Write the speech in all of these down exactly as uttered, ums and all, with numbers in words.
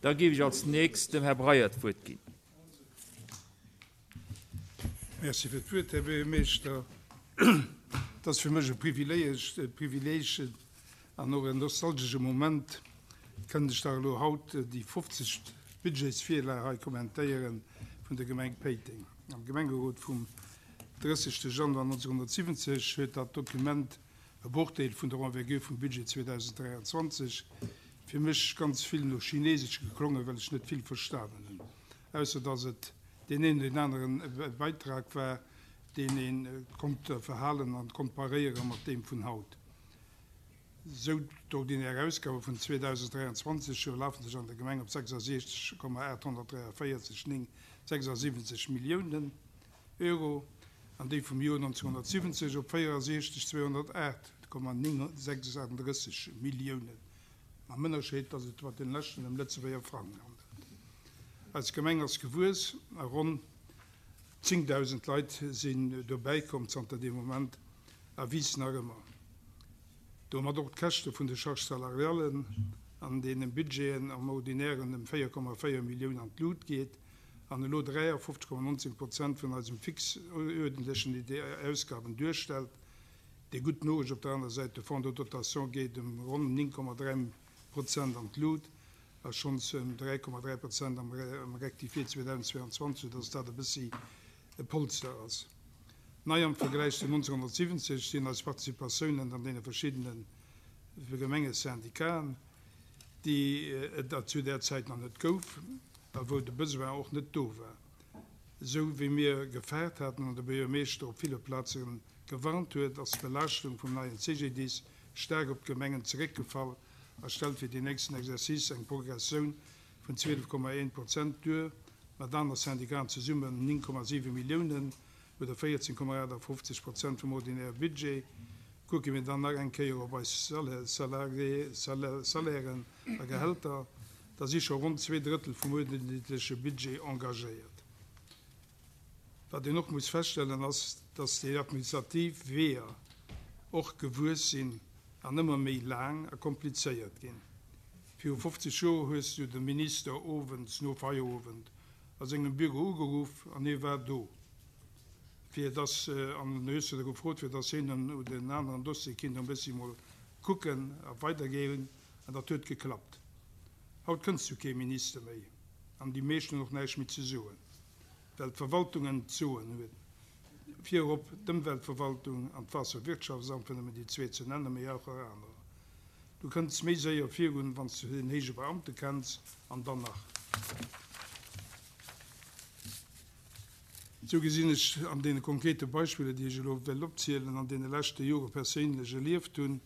Da géif ech als nächst dem Här Breyer d'Wuert ginn. Merci fir d'Wuert, Här Buergermeeschter. Et ass fir mech e Privileeg an och en nostalgesche Moment, kënnen ech dach elo haut déi fofzegt Budgetsvirlag hei kommentéiere vun der Gemeng Péiteng. Am Gemengerot vum drëssegste Januar nonzénhunnertsiwwenzeg huet dat Dokument, e Brochdeel vun der Envergure vum Budget zweedausenddräianzwanzeg, fir mech ganz vill no Chinesesch geklongen, well ech net vill verstanen hunn, ausser dass et deen een oder deen aneren Beitrag war, deen ee konnt verhalen an komparéiere mat deem vun haut. Sou d'ordinär Ausgabe vun zweedausenddräianzwanzeg belafen sech an der Gemeng op sechsasiechzeg Komma aathonnertdräiavéierzeg néng sechsasiwwenzeg Milliounen Euro an déi vum Joer nonzénhunnertsiwwenzeg op véierasiechzeg zweehonnertaacht Komma néng sechsundrësseg Milliounen, mam Ënnerscheed, datt et bei den leschten ëm Lëtzebuerger Frang handelt. Eis Gemeng ass gewuess a ronn zéngdausend Leit sinn dobäikomm zanter deem Moment a wiissen nach ëmmer. Domat och d'Käschte vun de Charges salariales an deene Budgeten am Ordinären ëm véier Komma véier Millioun an d'Lut geet an elo dräiafofzeg Komma nonzéng Prozent vun eisem fix uerdentlechen Ausgaben duerstellt. Déi gutt Noriicht op der anerer Säit, de Fonds de dotation geet ëm ronn néng Komma dräi Prozent an d'Lut a schonns ëm dräi Komma dräi Prozent am Rectifié zweedausendzweianzwanzeg, soudass dat e bëssi e Polster ass. Nei am Vergläich zu nonzénhunnertsiwwenzeg sinn eis Participatiounen an deene verschiddene Gemengesyndicaten, déi et zu där Zäit nach net gouf a wou de Besoin och net do war, esou wéi mir gefaart haten an de Buergermeeschter op ville Plaze gewarnt huet, ass d'Belaaschtung vum neien C G D I S staark op d'Gemengen zeréckgefall a stellt fir déi nächsten Exercice eng Progressioun vun zwielef Komma eent Prozent duer, mat aner Syndicaten zesummen néng Komma siwe Milliounen oder véierzéng Komma aachtafofzeg Prozent vum ordinäre Budget. Kucke mir dann nach eng Kéier op eis Salairen a Gehälter, da si scho ronn zwee Drëttel vum uerdentleche Budget engagéiert. Wat een och muss feststellen, ass, dass déi administrativ Weeër och gewuess sinn an ëmmer méi laang a komplizéiert ginn. Viru fofzeg Joer hues du de Minister owends no Feierowend a sengem Büro ugeruff an hie war do, fir dass, an hues du gefrot, fir dass hien un den aneren Dossier kinnt e bëssi mol kucken a weidergeen, an dat huet geklappt. Haut kënns du kee Minister méi an déi meescht hunn och näischt méi ze soen, well d'Verwaltungen d'Soen hunn. Virop d'Ëmweltverwaltung an d'Waasserwirtschaftsamt, fir nëmmen déi zwee ze nennen, mee och nach anerer. Du kënns méi séier virun, wann s du en héije Beamte kenns, an dann nach. Sou gesinn ech an deene konkrete Beispiller, déi ech elo wéll opzielen, an deene leschte Jore perséinlech erlieft hunn,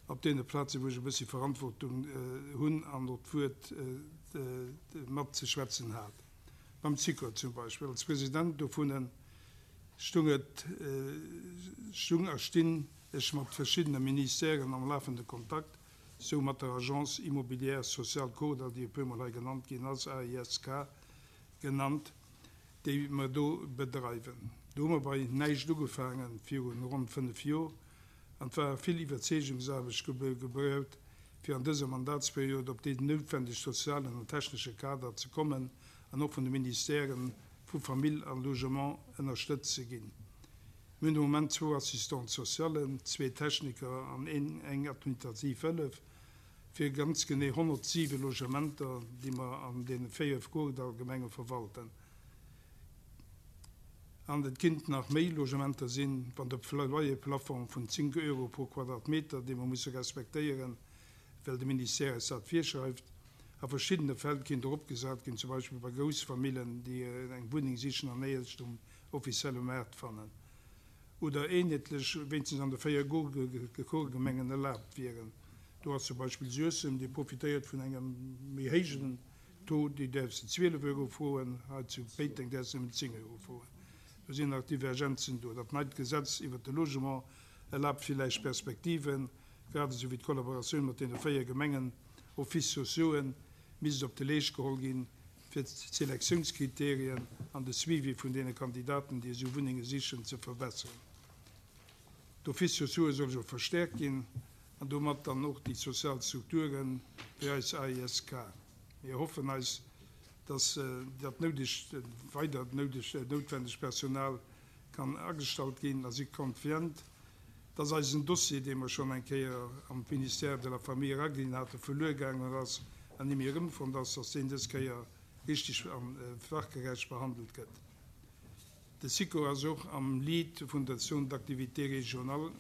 op deene Plazen, wou ech e bëssi Verantwortung hunn an och d'Wuert matzeschwätzen hat, beim Sikor zum Beispill, als President dovun stung et, stung a stinn ech mat verschiddene Ministèren am lafende Kontakt, sou mat der Agence immobilière sociale Kordall, déi e puermol hei genannt ginn ass, A I S K genannt, déi mer do bedreiwen. Do hu mer bei näischt ugefaangen, viru ronn fënnef Jor, an et war vill Iwwerzeegungsaarbecht gebraucht, fir an dëser Mandatsperiod op deen noutwendeg sozialen an technesche Kader ze kommen an och vun de Ministèren vu Famill an Logement ënnerstëtzt ze ginn. Mir hunn de Moment zwou Assistants socialen, zwee Techniker an een eng administrativ Hëllef fir ganz genee honnertsiwe Logementer, déi mer an deene véier Kordall-Gemenge verwalten. An et kinnt nach méi Logementer sinn, wann de Loyer-Plafong vun zéng Euro pro Quadratmeter, dee mer musse respektéieren, well de Ministère eis dat virschreift, a verschiddene Fäll kinnt eropgesat ginn, zum Beispill bei Groussfamillen, déi eng Wunneng sichen an néierens um offizielle Maart fannen. Oder eenheetlech wéinstens an de véier Kordallgemengen erlaabt wieren. Do ass zum Beispill Suessem, déi profitéiert vun engem méi héijen Taux, déi däerf se zwielef Euro froen, hei zu Péiteng däerf se nëmmen zéng Euro froen. Do sinn nach Divergenzen do. Dat neit Gesetz iwwert de Logement erlaabt villäicht Perspektiven, grad esou wéi d'Kollaboratioun mat deene véier Gemengen Offices sociauxen misst op de Leescht geholl ginn, fir d'Selektiounskriterien an de Suivi vun deene Kandidaten, déi esou Wunnenge sichen, ze verbesseren. D'Offices sociauxe soll jo verstäerkt ginn an domat dann och déi sozial Strukturen wéi eis A I S K. Mir hoffen eis, dass dat noudegt weidert noudegt noutwendegt Personal kann agestallt ginn a si confiant, dass eisen Dossier, dee mer schonn eng Kéier am Ministère de la Famille eraginn haten, verluer gaangen ass an ni méi erëmfonnt ass, dass deen dës Kéier richtig a fachgerecht behandelt gëtt. De Sikor ass och am Lead vun der Zone d'activité régionale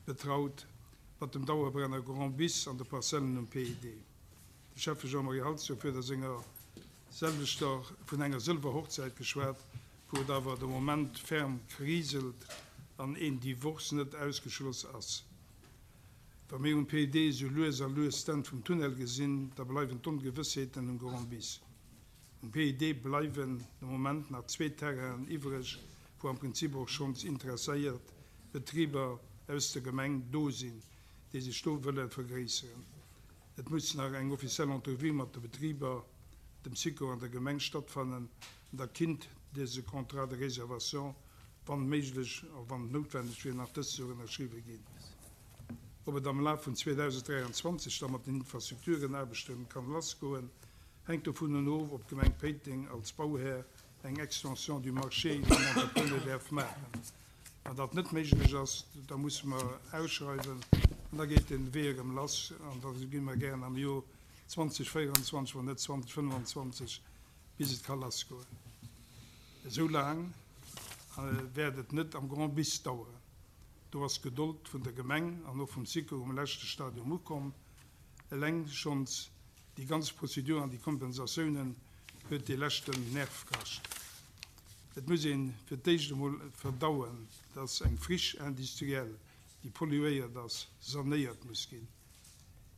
betraut mat dem Dauerbrenner Grand Bis an de Parzellen um P I D. De Schäffe Jean-Marie Halsdorf huet a senger selwechter vun enger Sëlwerhochzäit geschwat, wou et awer de Moment ferm kriselt an een Divorce net ausgeschloss ass. Wa mir um P I D esou lues a lues d'Enn vum Tunnel gesinn, da bleiwen d'Ongewëssheeten um Grand Bis. Um P I D bleiwen de Moment nach zwee Terrainen iwwreg, wou am Prinzip och schonns interesséiert Betriber aus der Gemeng do sinn, déi sech do wëlle vergréisseren. Et muss nach eng offiziell Entrevue mat de Betriber, dem Sikor an der Gemeng stattfannen an da kinnt dëse Contrat de réservation, wann méiglech a wann noutwenneg wier, nach dëst Joer ënnerschriwwe ginn. Ob et am Laf vun zweedausendräianzwanzeg da mat den Infrastrukturenaarbechte kann lassgoen, hänkt dovun of, ob d'Gemeng Péiteng als Bauhär eng Extension du marché vum Entrepreneur däerf maachen. Wann dat net méiglech ass, da musse mer ausschreiwen an da geet de Wee erëm lass an da gi mer gären am Joer zweedausendvéierundzwanzeg, wann net zweedausendfënnefanzwanzeg, bis et ka lassgoen. Esou laang wäert et net am Grand Bis daueren. Do ass d'Gedold vun der Gemeng an och vum Sikor um leschte Stadium ukomm. Eleng schonns déi ganz Prozedur an déi Kompensatiounen huet dee leschten Nerv kascht. Et muss ee fir d'éischt emol verdauen, dass eng Friche industrielle, déi polluéiert ass, sanéiert muss ginn.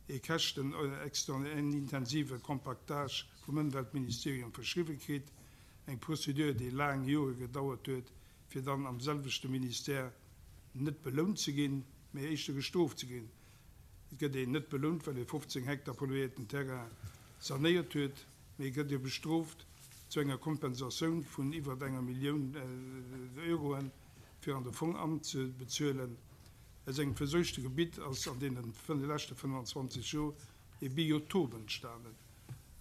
Ee käschtenintensive Compactage vum Ëmweltministerium verschriwwe kritt, eng Prozedur, déi laang Jore gedauert huet, fir dann am selwechte Ministère net belount ze ginn, mee éischter gestrooft ze ginn. Et gëtt een net belount, well ee fofzéng Hektar polluéierten Terrain sanéiert huet, mee et gëtt ee bestrooft zu enger Kompensatioun vun iwwert enger Millioun Euroen, fir an de Fong anzebezuelen. Aus engem verseuchte Gebitt ass an deene leschte fënnefanzwanzeg Joer e Biotop entstanen.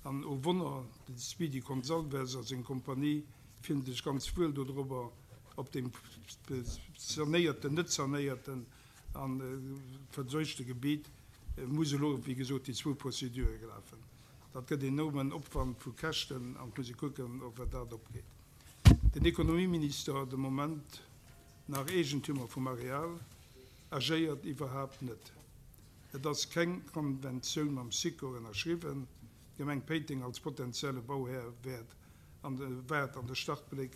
An o Wonner, de Speedy Gonzalves a seng Kompanie fillen sech ganz wuel dodrobber, op deem sanéierten, net sanéierten a verseuchte Gebitt muss elo, wéi gesot, déi zwou Prozedure lafen. Dat gëtt enormen Opwand vu Käschten an et muss ee kucken, ob dat opgeet. Den Ekonomieminister, de Moment nach Eegentümer vum Areal, agéiert iwwerhaapt net. Et ass keng Konventioun mam Sikor ënnerschriwwen. D'Gemeng Péiteng als potenzielle Bauhär wäert an de waart an de Startbléck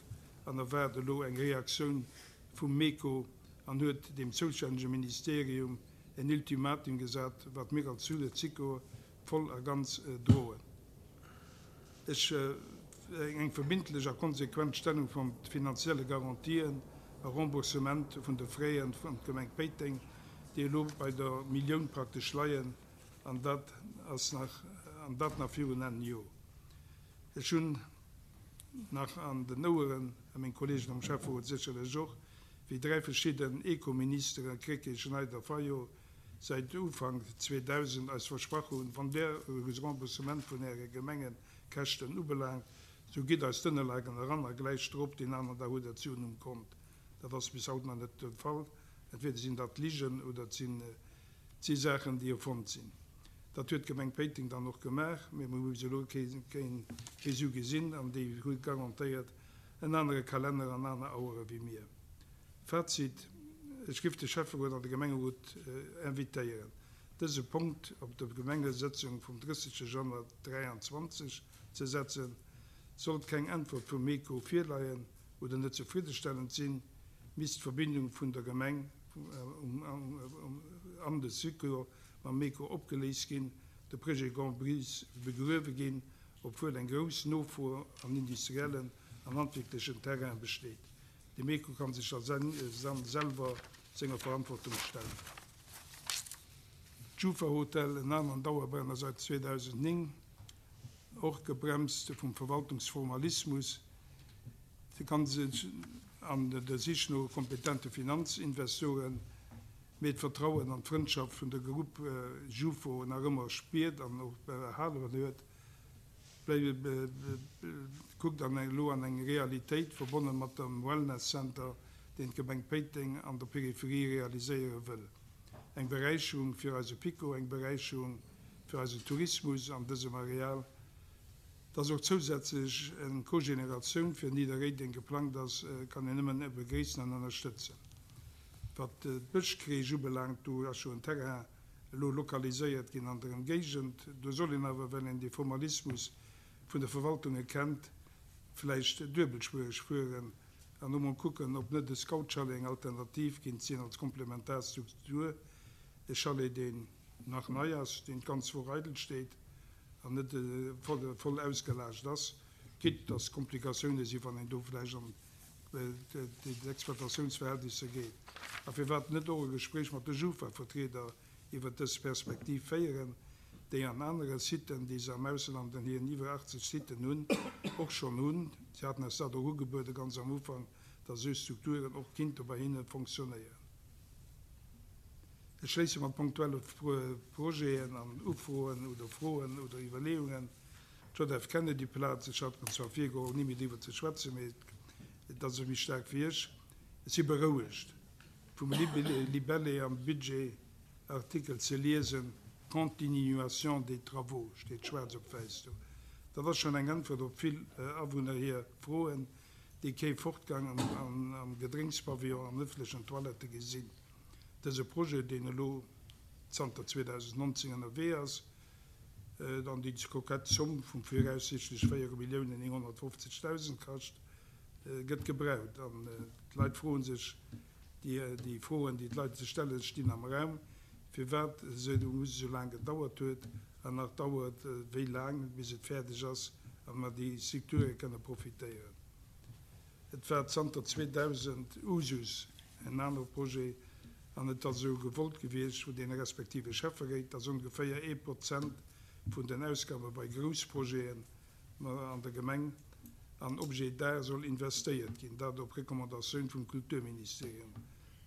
an erwaart elo eng Reaktioun vum MECO an huet dem zoustännege Ministerium en Ultimatum gesat, wat mir als Sikor voll a ganz droen. Ech eng verbindlech a konsequent Stellung vun finanzielle Garantien a Remboursement vun de Fräen vun Gemeng Péiteng, déi elo bei der Millioun praktesch leien, an dat ass nach an dat nach virun engem Joer. Ech hunn nach an den Oueren, a meng Kolleegen am Schäfferot sécherlech och, wéi dräi verschidden Ekoministere, Krecké, Schneider, Fayot, säit Ufank zweedausend eis versprach hunn, wann der Remboursement vun äre Gemengekäschten ubelaangt, sou gitt eis d'Ënnerlagen eran a gläich drop deen aneren Dag hutt der d'Suen um Kont. Dat ass bis haut nach net de Fall. Entweder sinn dat Ligen oder et sinn si Saachen, déi erfonnt sinn. Dat huet d'Gemeng Péiteng dann och gemaach, mee mir hu bis elo kee kee Su gesinn an déi hu garantéiert en anere Kalenner an aner Auere wéi mir. Fazit, Ech giff de Schäfferot an de Gemengerot invitéieren, dëse Punkt op der Gemengesëtzung vum drëssegste Januar dräianzwanzeg ze setzen. Sollt keng Äntwert vum MECO virleien oder net zefriddestellend sinn, misst d'Verbindung vun der Gemeng an de Sikor mam MECO opgeléist ginn, de Projet Grand Bis begruewe ginn, obwuel eng grouss Nofro an industriellen an handwierklechen Terrain besteet. De MECO kann sech da selwer senger Verantwortung stellen. D'Jufa Hotel, en aneren Dauerbrenner säit zweedausendnéng, och gebremst vum Verwaltungsformalismus, kann sech an der Sich no kompetente Finanzinvestoren, mee d'Vertrauen an d'Frëndschaft vun der Grupp Jufo nach ëmmer spiert an och behalen huet. Kuckt an elo an eng Realitéit, verbonne mat dem Wellness Center, deen d'Gemeng Péiteng an der Peripherie realiséiere wëll. Eng Beräicherung fir eise PiKo, eng Beräicherung fir eisen Tourismus an dësem Areal. Dass och zousätzlech eng Cogeneratioun fir Nidderréideng geplangt ass, kann een nëmmen begréissen an ënnerstëtzen. Wat d'Bëschcrèche ubelaangt, do ass jo en Terrain elo lokaliséiert ginn an der Ëmgéigend. Do soll een awer, well een de Formalismus vun de Verwaltunge kennt, vläicht duebelspuereg fueren an emol kucken, ob net e Scout-Chalet eng Alternativ kinnt sinn als komplementar Struktur, e Chalet, deen nach nei ass, deen d'ganz Woch eidel steet an net voll ausgelaascht ass, quitte dass Komplikatioune sinn, wann een do vläicht an d'Exploitatiounsverhältnisser geet. A firwat net och e Gespréich mat de Jufa-Vertrieder iwwert dës Perspektiv féieren, déi an anere Siten, déi se am Ausland an hiren iwwer achtzeg Siten hunn, och schonn hunn. Si haten eis dat och ugebuede ganz am Ufank, dass esou Strukturen och kinnte bei hinne fonctionnéieren. Ech schléisse mat punktuelle Projeten an Ufroen oder Froen oder Iwwerleeungen. D'J F Kennedy-Plaz, ech hat mer zwar virgeholl, ni méi driwwer ze schwätzen, mee et ass méi staark wéi ech. Ech si berouegt, vum Libellé am Budgetartikel ze liesen, Continuation des travaux, steet schwaarz op wäiss do. Dat ass schonn eng Äntwert op vill Awunner hir Froen, déi kee Fortgang am Gedrénkspavillon an ëffentlechen Toilettë gesinn. Dëse Projet, deen elo zanter zweedausendnonzéng ënnerwee ass, an déi kokett Zomm vu viraussiichtlech véier Milliounen nénghonnertfofzegdausend kascht, gëtt gebraucht. An d'Leit froe sech, déi Froen, déi d'Leit sech stellen, stinn am Raum, firwat esou laang gedauert huet an nach dauert, wéi laang bis et fäerdeg ass a mer déi Strukture kënne profitéieren. Et war zanter zweedausend Usus, en anere Projet, an et ass esou gewollt gewiescht vun deene respektive Schäfferéit, dass ongeféier ee Prozent vun den Ausgabe bei Groussprojeten an der Gemeng an Objets d'art soll investéiert ginn, dat op Recommandatioun vum Kulturministerium.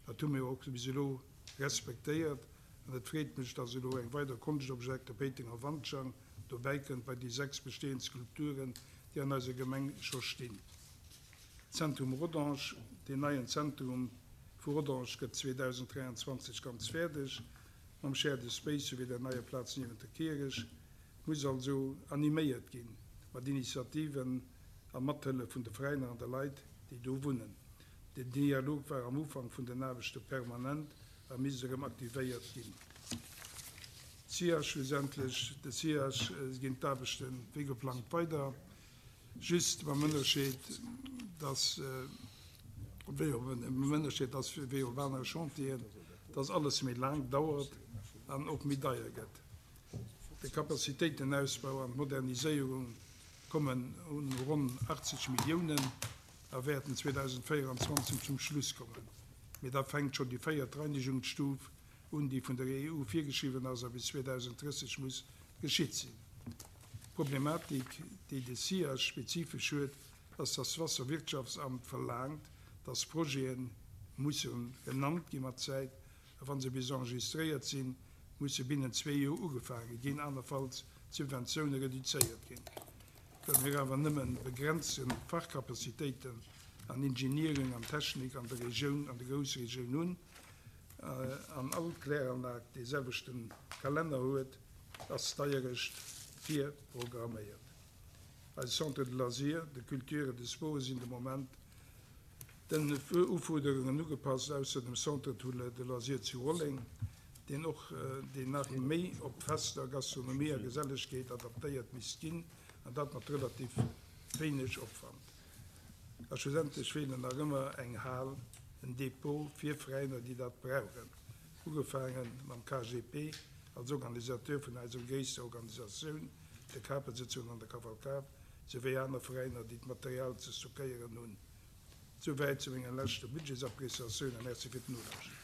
Dat hu mir och bis elo respektéiert an et freet mech, dass elo eng weider Konschtobjekt, de Péitenger Wandschang, dobäikënnt bei déi sechs bestehend Skulpturen, déi an eiser Gemeng scho stinn. Zentrum Rodange, Deen neien Zentrum vu Rodange gëtt zweedausenddräianzwanzeg ganz fäerdeg, mam Shared Space souwéi der neier Plaz niewent der Kierch, muss also animéiert ginn mat Initiativen a Mathëllef vun de Veräiner an de Leit, déi do wunnen. Den Dialog war am Ufank vun den Aarbechte permanent a misst erëm aktivéiert ginn. C I A, schlussendlech de C I A, ginn d'Aarbechte wéi geplangt weider, just mam Ënnerscheed, dass wéi op mam Ënnerscheed, dass wéi op anere Chantieren, dass alles méi laang dauert an och méi deier gëtt. De Kapazitéitenausbau an d'Moderniséierung kommen un ronn achtzeg Milliounen a wäerten zweedausendvéieranzwanzeg zum Schluss kommen. Mee da fänkt schonn déi véiert Reinigungsstuf un, déi vun der E U virgeschriwwen ass a bis zweedausendrësseg muss geschitt sinn. D'Problematik, déi de C I A spezifesch huet, ass, dass d'Waasserwirtschaftsamt verlaangt, dass Projete musse genannt gi mat Zäit, a wa se bis enregistréiert sinn, musse binnen zwee Joer ugefaange ginn, anerfalls d'Subventioune reduzéiert ginn. Well mir awer nëmme begrenzte Fachkapazitéiten an Engineering an Technik an der Regioun, an der Groussregioun hunn, an all Kläranlag dee selwechte Kalenner huet, ass d'Deierecht virprogramméiert. Eise Centre de loisirs, de culture et de sport sinn de Moment den Ufuerderungen ugepasst, ausser dem Centre de loisirs zu Rolleng, deen och deen nach méi op Fester, Gastronomie a Gesellegkeet adaptéiert misst ginn, an dat mat relativ wéineg Opwand. A schlussendlech feelen nach ëmmer eng Hal, en Depot fir Veräiner, déi dat brauchen. Ugefaange mam K G P als Organisateur vun eiser gréisster Organisatioun, de Kapesëtzungen an der Kavalkad, souwéi aner Veräiner, déi d'Material ze stockéieren hunn. Souwäit zu menger leschter Budgetsappreciatioun a Merci fir d'Nolauschteren.